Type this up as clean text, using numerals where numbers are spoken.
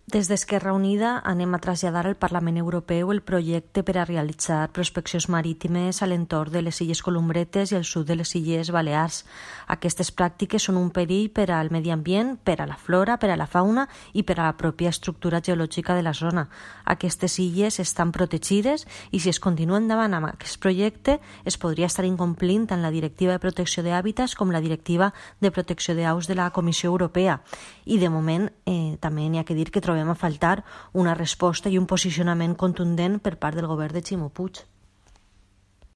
Des d'Esquerra Unida anem a traslladar al Parlament Europeu el projecte per a realitzar prospeccions marítimes a l'entorn de les Illes Columbretes i el sud de les Illes Balears. Aquestes pràctiques són un perill per al medi ambient, per a la flora, per a la fauna i per a la pròpia estructura geològica de la zona. Aquestes illes estan protegides i si es continua endavant amb aquest projecte es podria estar incomplint tant la Directiva de Protecció d'Hàbitats com la Directiva de Protecció d'Aus de la Comissió Europea. I de moment també n'hi ha que dir que trobem a faltar una resposta i un posicionament contundent per part del govern de Ximo Puig.